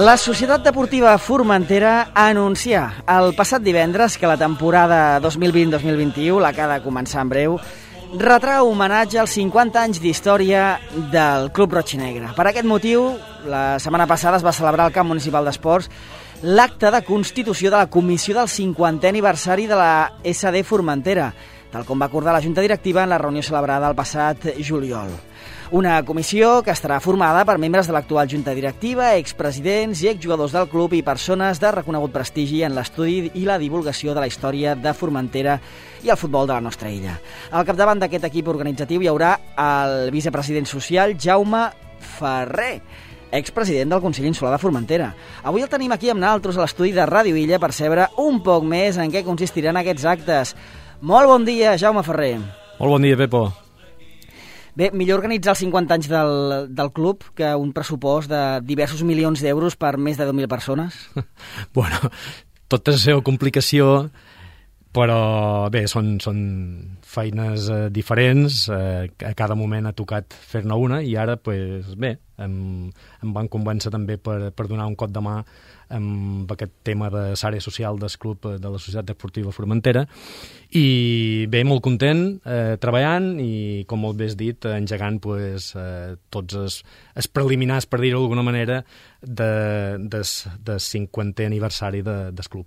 La Societat Deportiva Formentera anuncia el passat divendres que la temporada 2020-2021, la que ha de començar en breu, retrà homenatge als 50 anys d'història del Club Roig i Negre. Per aquest motiu, la setmana passada es va celebrar al Camp Municipal d'Esports l'acte de constitució de la Comissió del 50è aniversari de la SD Formentera, tal com va acordar la Junta Directiva en la reunió celebrada el passat juliol. Una comissió que estarà formada per membres de l'actual Junta Directiva, expresidents i exjugadors del club i persones de reconegut prestigi en l'estudi i la divulgació de la història de Formentera i el futbol de la nostra illa. Al capdavant d'aquest equip organitzatiu hi haurà el vicepresident social Jaume Ferrer, expresident del Consell Insular de Formentera. Avui el tenim aquí amb nosaltres a l'estudi de Ràdio Illa per saber un poc més en què consistiran aquests actes. Molt bon dia, Jaume Ferrer. Molt bon dia, Pepo. Bé, millor organitzar els 50 anys del club que un pressupost de diversos milions d'euros per més de 10.000 persones? Bueno, tot és la seva complicació, però bé, són feines diferents, a cada moment ha tocat fer-ne una i ara, pues, bé, em van convèncer també per donar un cop de mà amb aquest tema de l'àrea social del club de la Societat Deportiva Formentera i bé, molt content treballant i, com molt bé has dit, engegant pues, tots els preliminars, per dir-ho d'alguna manera, del 50è aniversari del club.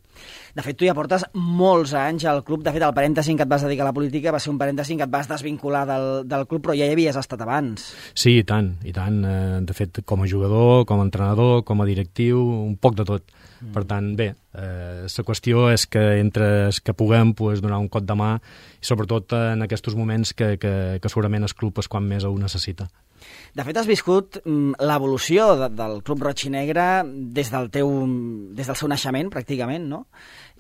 De fet, tu ja portes molts anys al club. De fet, el parèntesi que et vas dedicar a la política va ser un parèntesi que et vas desvincular del club, però ja hi havies estat abans. Sí, i tant, i tant. De fet, com a jugador, com a entrenador, com a directiu, un poc de tot. Per tant, bé, la qüestió és que entre els que puguem pues, donar un cop de mà i sobretot en aquests moments que segurament el club és quan més ho necessita. De fet, has viscut l'evolució del Club Roig i Negre des del seu naixement, pràcticament, no?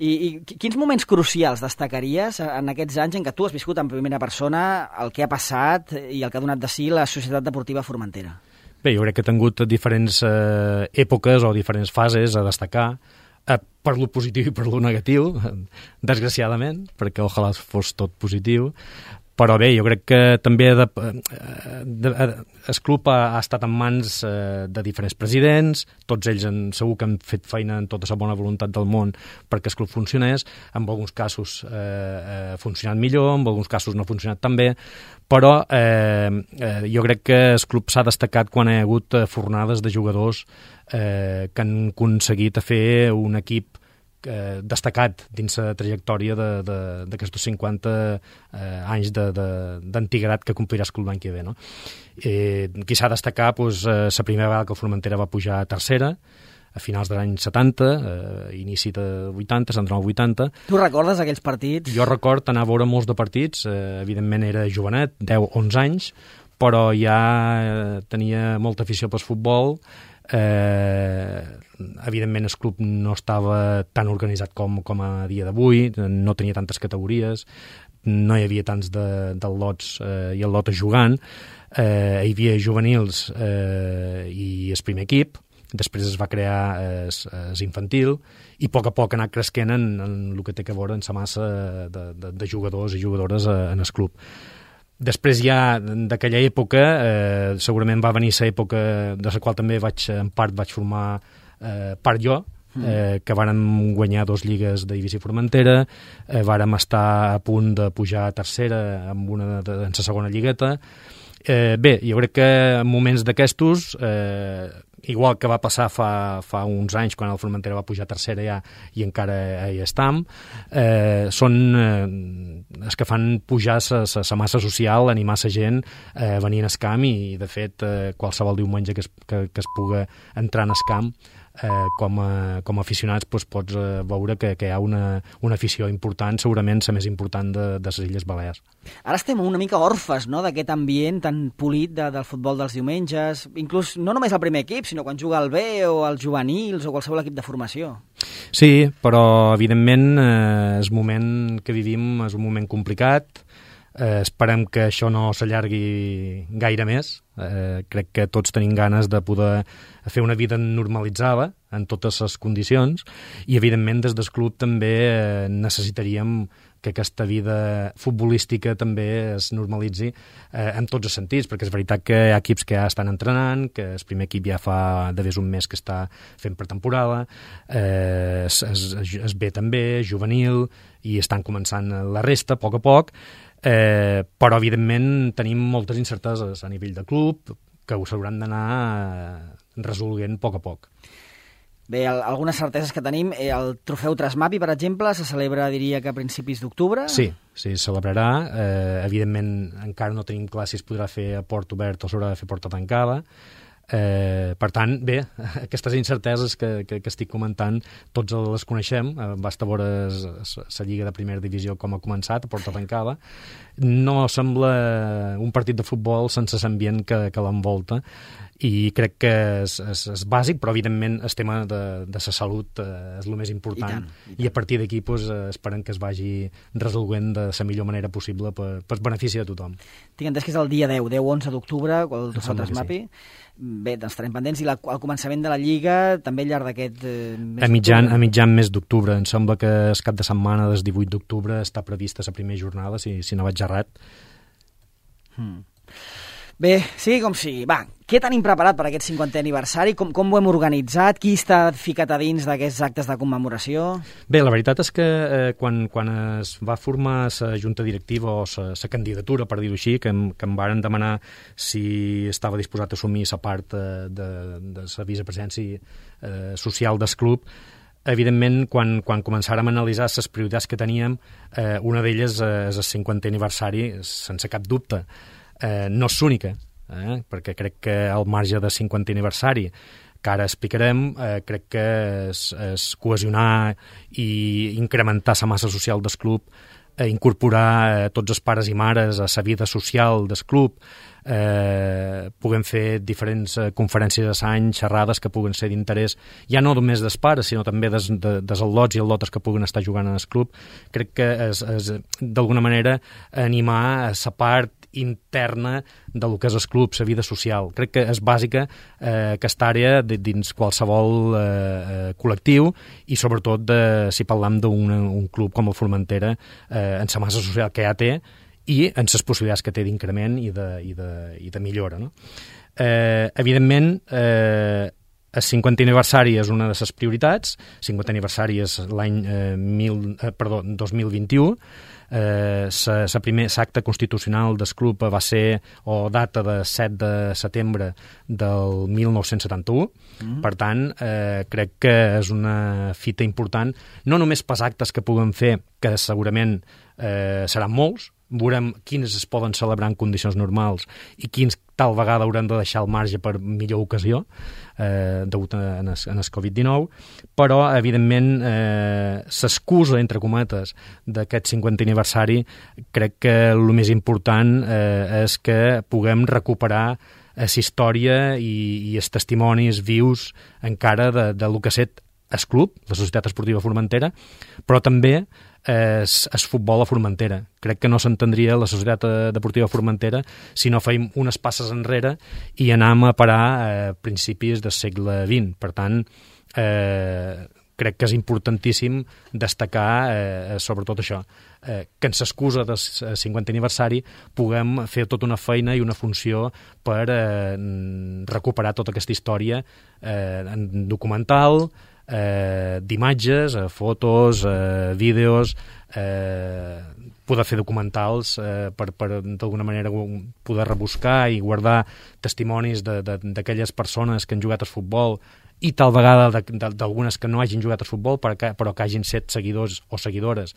I quins moments crucials destacaries en aquests anys en què tu has viscut en primera persona el que ha passat i el que ha donat de si la Societat Deportiva Formentera? Bé, jo crec que he tingut diferents èpoques o diferents fases a destacar, per lo positiu i per lo negatiu, desgraciadament, perquè ojalà fos tot positiu. Però bé, jo crec que també el club ha estat en mans de diferents presidents, tots ells segur que han fet feina en tota la bona voluntat del món perquè el club funcionés, en alguns casos ha funcionat millor, en alguns casos no ha funcionat tan bé, però jo crec que el club s'ha destacat quan hi ha hagut fornades de jugadors que han aconseguit fer un equip destacat dins la trajectòria d'aquests 50 anys d'antiguitat que complirà el club l'any que ve. No? Aquí s'ha de destacar la primera vegada que el Formentera va pujar a tercera, a finals de l'any 70, inici de 80, s'entrà al 80. Tu recordes aquells partits? Jo record anar a veure molts de partits, evidentment era jovenet, 10-11 anys, però ja tenia molta afició pel futbol. Evidentment el club no estava tan organitzat com a dia d'avui, no tenia tantes categories, no hi havia tants del lots i el lot jugant, hi havia juvenils i el primer equip, després es va crear el infantil i a poc ha anat cresquent en el que té a veure en la massa de jugadors i jugadores en el club. Després ja d'aquella època, segurament va venir l'època de la qual també en part vaig formar part jo, que vàrem guanyar 2 lligues de Divisió Formentera, vàrem estar a punt de pujar a tercera en la segona lligueta. Bé, jo crec que en moments d'aquestos, igual que va passar fa uns anys quan el Formentera va pujar a tercera ja i encara hi estam, són els que fan pujar la massa social, animar la gent a venir al camp i de fet qualsevol diumenge que es puga entrar en el camp com a aficionats pots veure que hi ha una afició important, segurament la més important de les Illes Balears. Ara estem una mica orfes, no?, d'aquest ambient tan polit del futbol dels diumenges, inclús no només el primer equip, sinó quan juga el B o els juvenils o qualsevol equip de formació. Sí, però evidentment el moment que vivim és un moment complicat. Esperem que això no s'allargui gaire més. Crec que tots tenim ganes de poder fer una vida normalitzada en totes les condicions i evidentment des del club també necessitaríem aquesta vida futbolística també es normalitzi en tots els sentits, perquè és veritat que hi ha equips que ja estan entrenant, que el primer equip ja fa d'haver un mes que està fent pretemporada, es B també, juvenil, i estan començant la resta, a poc, però evidentment tenim moltes incerteses a nivell de club que ho s'hauran d'anar resolent a poc. Bé, algunes certeses que tenim, el trofeu Trasmapi, per exemple, se celebra, diria que a principis d'octubre? Sí, es celebrarà. Evidentment, encara no tenim clar si es podrà fer a port obert o s'haurà de fer porta tancada. Per tant, bé, aquestes incerteses que estic comentant tots les coneixem, basta veure la Lliga de Primera Divisió com ha començat, a porta tancada. No sembla un partit de futbol sense l'ambient que l'envolta, i crec que és bàsic, però evidentment el tema de la salut és el més important, i a partir d'aquí esperem que es vagi resolent de la millor manera possible per benefici de tothom. Tinc entès que és el dia 10-11 d'octubre, el trofeu Trasmapi. Bé, doncs estarem pendents, i al començament de la Lliga també al llarg d'aquest mes d'octubre. A mitjan mes d'octubre, em sembla que el cap de setmana del 18 d'octubre està prevista la primera jornada, si no vaig errat. Bé, sigui com sigui. Va, què tenim preparat per aquest 50è aniversari? Com ho hem organitzat? Qui està ficat a dins d'aquests actes de commemoració? Bé, la veritat és que quan es va formar la junta directiva o la candidatura, per dir-ho així, que em varen demanar si estava disposat a assumir la part de la vicepresidència social del club, evidentment, quan començàrem a analitzar les prioritats que teníem, una d'elles és el 50è aniversari, sense cap dubte. No és l'única, perquè crec que al marge del 50è aniversari, que ara explicarem, crec que és cohesionar i incrementar la massa social del club, incorporar tots els pares i mares a la vida social del club, puguem fer diferents conferències a l'any, xerrades que puguen ser d'interès, ja no només dels pares, sinó també dels al·lots i al·lotes que puguen estar jugant en el club. Crec que és d'alguna manera animar la part interna del que és el club, la vida social. Crec que és bàsica aquesta àrea dins qualsevol col·lectiu, i sobretot si parlam d'un club com el Formentera, en la massa social que ja té i en les possibilitats que té d'increment i de millora, no? Evidentment, el 50è aniversari és una de les prioritats. El 50è aniversari és l'any 2021. L'acte constitucional del club va ser, o data de 7 de setembre del 1971. Per tant, crec que és una fita important, no només pels actes que puguem fer, que segurament seran molts, veurem quins es poden celebrar en condicions normals i quins tal vegada haurem de deixar al marge per millor ocasió, degut a el Covid-19, però, evidentment, l'excusa, entre cometes, d'aquest 50è aniversari, crec que el més important és que puguem recuperar la història i els testimonis vius encara del que ha estat el club, la Societat Esportiva Formentera, però també el futbol a Formentera. Crec que no s'entendria la Societat Deportiva Formentera si no fèiem unes passes enrere i anàvem a parar a principis del segle XX. Per tant, crec que és importantíssim destacar sobretot això, que en l'excusa del 50è aniversari puguem fer tota una feina i una funció per recuperar tota aquesta història en documental, d'imatges, fotos, vídeos, poder fer documentals per d'alguna manera poder rebuscar i guardar testimonis d'aquelles persones que han jugat al futbol i tal vegada d'algunes que no hagin jugat al futbol però que hagin set seguidors o seguidores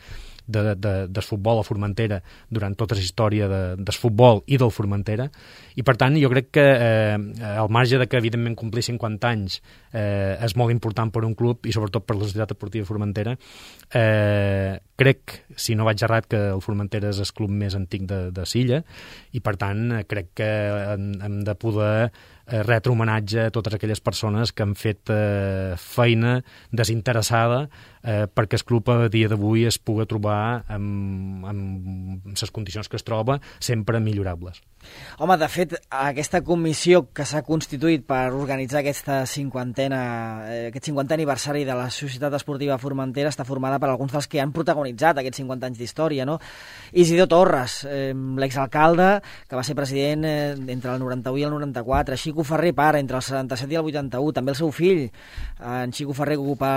del futbol a Formentera durant tota la història del futbol i del Formentera. I per tant jo crec que al marge de que evidentment complir 50 anys és molt important per un club i sobretot per la Societat Esportiva Formentera, crec, si no vaig errat, que el Formentera és el club més antic de l'illa i per tant crec que hem de poder retre homenatge a totes aquelles persones que han fet feina desinteressada perquè el club a dia d'avui es pugui trobar amb les condicions que es troba sempre millorables. Home, de fet, aquesta comissió que s'ha constituït per organitzar aquest 50è aniversari de la Societat Esportiva Formentera està formada per alguns dels que han protagonitzat aquests 50 anys d'història, no? Isidor Torres, l'exalcalde, que va ser president entre el 91 i el 94, Xico Ferrer, pare, entre el 77 i el 81, també el seu fill, en Xico Ferrer, que ocupa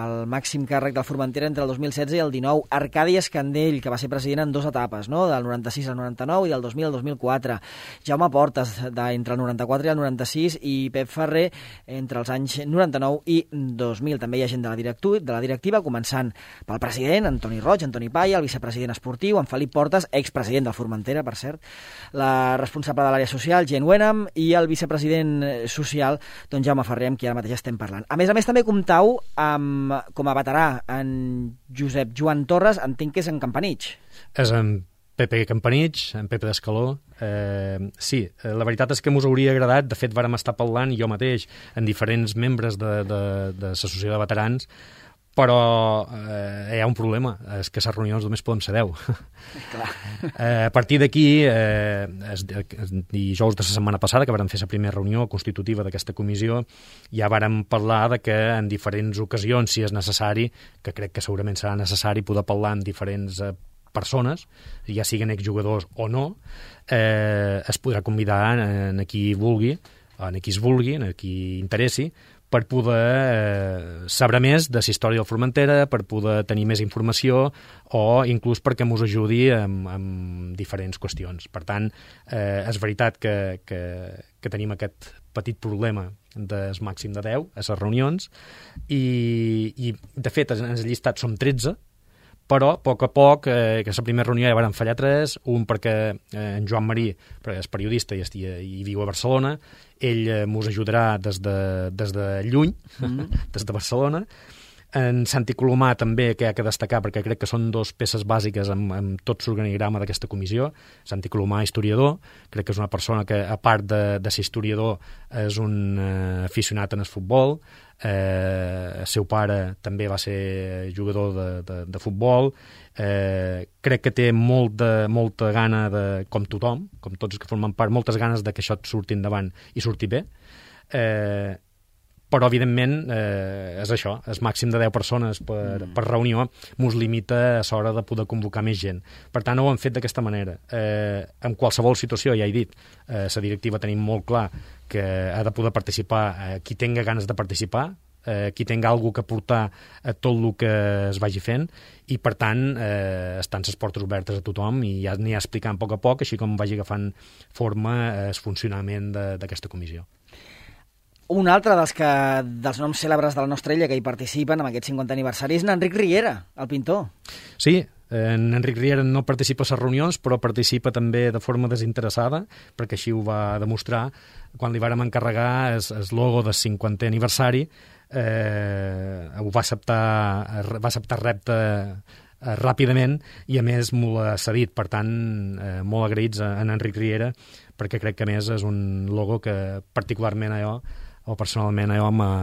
el màxim càrrec del Formentera entre el 2016 i el 19, Arcadi Escandell, que va ser president en 2 etapes, no? Del 96 al 99 i del 2000 al 2004, Jaume Portes, entre el 94 i el 96, i Pep Ferrer, entre els anys 99 i 2000. També hi ha gent de la directiva, començant pel president, Antoni Roig, Antoni Palla, el vicepresident esportiu, en Felip Portes, expresident del Formentera, per cert, la responsable de l'àrea social, Jen Wenham, i el vicepresident social, doncs Jaume Ferrer, amb qui ara mateix estem parlant. A més, també comptau amb, com a veterà, en Josep Joan Torres, entenc que és en Campanich. És en Pepe Campanich, en Pepe d'Escaló. Sí, la veritat és que m'us hauria agradat, de fet vàrem estar parlant jo mateix en diferents membres de l'associació de veterans, però hi ha un problema, és que a les reunions només podem ser 10. A partir d'aquí, dijous de la setmana passada, que vàrem fer la primera reunió constitutiva d'aquesta comissió, ja vàrem parlar de que en diferents ocasions, si és necessari, que crec que segurament serà necessari poder parlar amb diferents persones, ja siguen exjugadors o no, es podrà convidar en qui vulgui, en qui es vulgui, en qui interessi, per poder saber més de la història del Formentera, per poder tenir més informació o inclús perquè ens ajudi en diferents qüestions. Per tant, és veritat que tenim aquest petit problema del màxim de 10 a les reunions i de fet, en el llistat som 13, però a poc, que la primera reunió ja van fallar 3, un perquè en Joan Marí, perquè és periodista i viu a Barcelona, ell mos ajudarà des de lluny, des de Barcelona. En Santi Colomà també, que hi ha que destacar, perquè crec que són 2 peces bàsiques amb tot l'organigrama d'aquesta comissió. Santi Colomà, historiador, crec que és una persona que, a part de ser historiador, és un aficionat en el futbol. El seu pare també va ser jugador de futbol. Crec que té molta gana, com tothom, com tots els que formen part, moltes ganes de que això surti endavant i surti bé. Però, evidentment, és això, el màxim de 10 persones per reunió mos limita a l'hora de poder convocar més gent. Per tant, ho hem fet d'aquesta manera. En qualsevol situació, ja he dit, la directiva tenim molt clar que ha de poder participar qui tenga ganes de participar, qui tenga alguna cosa que aportar a tot el que es vagi fent, i, per tant, estan les portes obertes a tothom i ja n'hi ha explicant a poc, així com vagi agafant forma el funcionament d'aquesta comissió. Un altre dels noms cèlebres de la nostra illa que hi participen en aquest 50è aniversari és Enric Riera, el pintor. Sí, en Enric Riera no participa a les reunions, però participa també de forma desinteressada, perquè així ho va demostrar quan li vàrem encarregar el logo del 50è aniversari. Ho va acceptar repte ràpidament i, a més, m'ho ha cedit. Per tant, molt agraïts a Enric Riera, perquè crec que, a més, és un logo que particularment personalment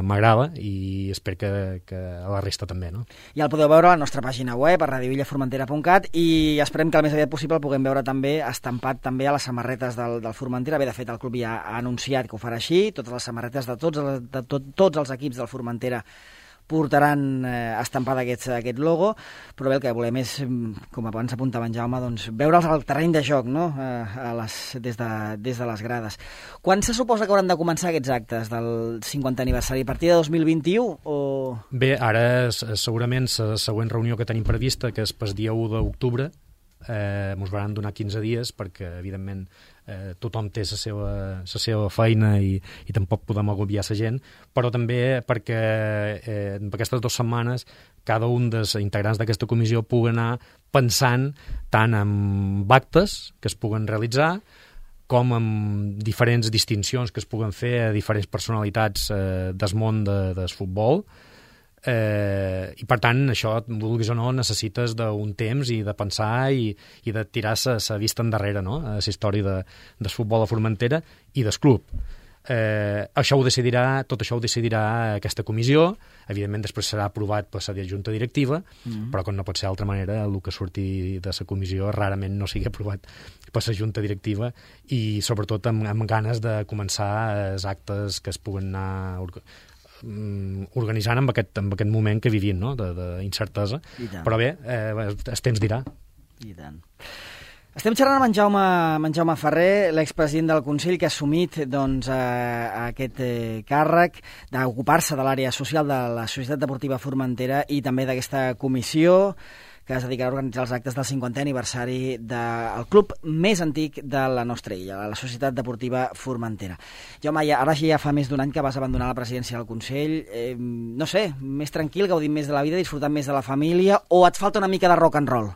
m'agrada i espero que a la resta també, no? Ja el podeu veure a la nostra pàgina web, a radioillaformentera.cat, i esperem que el més aviat possible el puguem veure també estampat també a les samarretes del Formentera. Bé, de fet, el club ja ha anunciat que ho farà així, totes les samarretes de tots els equips del Formentera portaran estampada aquest logo, però bé, el que volem és, com abans apuntava en Jaume, doncs, veure'ls al terreny de joc, no? Des de les grades. Quan se suposa que hauran de començar aquests actes del 50è aniversari? A partir de 2021 o...? Bé, ara segurament la següent reunió que tenim prevista, que és pel dia 1 d'octubre, ens van donar 15 dies perquè, evidentment, tothom té la seva feina i tampoc podem agobiar la gent, però també perquè en aquestes 2 setmanes cada un dels integrants d'aquesta comissió pugui anar pensant tant en actes que es puguen realitzar com en diferents distincions que es puguen fer a diferents personalitats del món del futbol. I, per tant, això, vulguis o no, necessites d'un temps i de pensar i de tirar la vista endarrere, no?, a la història del futbol a Formentera i del club. Això ho decidirà, tot això ho decidirà aquesta comissió. Evidentment després serà aprovat per la junta directiva, però com no pot ser d'altra manera, el que surti de la comissió rarament no sigui aprovat per la junta directiva, i sobretot amb ganes de començar els actes que es puguen anar organitzant en aquest moment que vivim, no? D'incertesa. Però bé, el temps dirà. I tant. Estem xerrant amb en Jaume Ferrer, l'expresident del Consell, que ha assumit aquest càrrec d'ocupar-se de l'àrea social de la Societat Deportiva Formentera i també d'aquesta comissió que es dedicarà a organitzar els actes del 50è aniversari del club més antic de la nostra illa, la Societat Deportiva Formentera. Jaume, ara ja fa més d'un any que vas abandonar la presidència del Consell. No sé, més tranquil, gaudint més de la vida, disfrutant més de la família, o et falta una mica de rock and roll?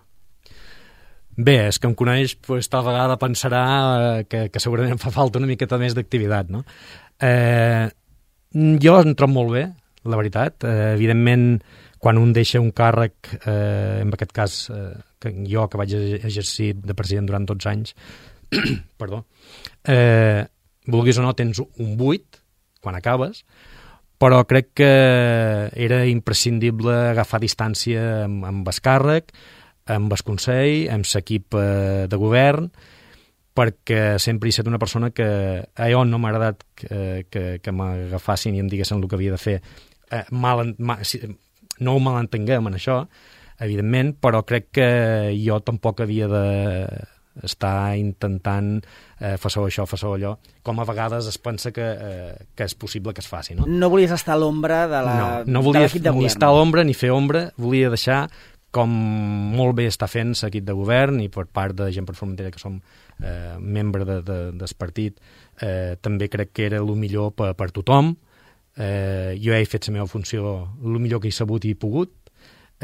Bé, és que em coneix, tal vegada pensarà que segurament fa falta una miqueta més d'activitat, no? Jo em trobo molt bé, la veritat. Evidentment, quan un deixa un càrrec, en aquest cas, jo que vaig exercir de president durant 12 anys, perdó, vulguis o no, tens un buit quan acabes, però crec que era imprescindible agafar distància amb el càrrec, amb el Consell, amb l'equip de govern, perquè sempre he estat una persona que allò no m'ha agradat que m'agafassin i em diguessin el que havia de fer. No ho malentenguem en això, evidentment, però crec que jo tampoc havia d'estar intentant faço això, faço allò, com a vegades es pensa que és possible que es faci. No volies estar a l'ombra de l'equip de govern. No volia ni estar a l'ombra ni fer ombra, volia deixar com molt bé està fent l'equip de govern, i per part de Gent per Formentera, que som membre del partit, també crec que era el millor per tothom. Jo he fet la meva funció el millor que he sabut i he pogut,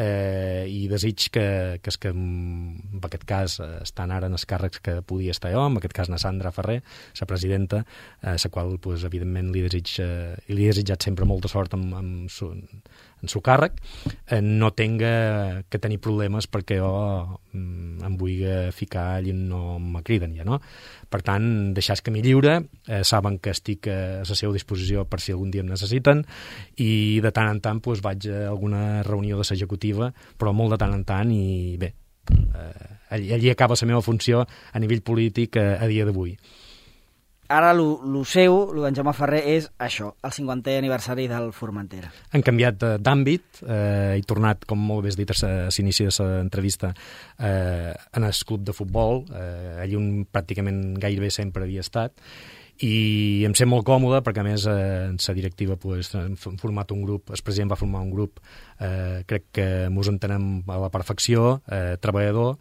i desig que en aquest cas estan ara en els càrrecs que podia estar jo, en aquest cas na Sandra Ferrer, la presidenta, a la qual evidentment li he desitjat sempre molta sort en el càrrec, no tinga que tenir problemes perquè jo em vull ficar allà on no me criden ja, no? Per tant, deixar el camí lliure, saben que estic a la seva disposició per si algun dia em necessiten, i de tant en tant vaig a alguna reunió de l'executiva, però molt de tant en tant, i bé, allí acaba la meva funció a nivell polític a dia d'avui. Ara el seu, d'en Jaume Ferrer, és això, el 50è aniversari del Formentera. Han canviat d'àmbit, he tornat, com molt bé has dit a l'inici de l'entrevista, en el club de futbol, allà on pràcticament gairebé sempre havia estat, i em sent molt còmode perquè, a més, en la directiva hem format un grup, el president va formar un grup, crec que ens entenem a la perfecció, treballador,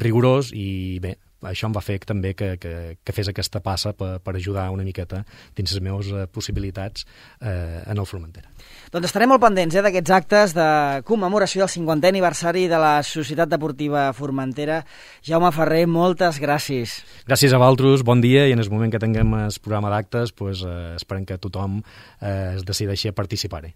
rigorós, i bé, això em va fer també que fes aquesta passa per ajudar una miqueta dins les meves possibilitats en el Formentera. Doncs estarem molt pendents d'aquests actes de commemoració del 50è aniversari de la Societat Deportiva Formentera. Jaume Ferrer, moltes gràcies. Gràcies a vosaltres, bon dia, i en el moment que tinguem el programa d'actes esperem que tothom es decideixi a participar-hi.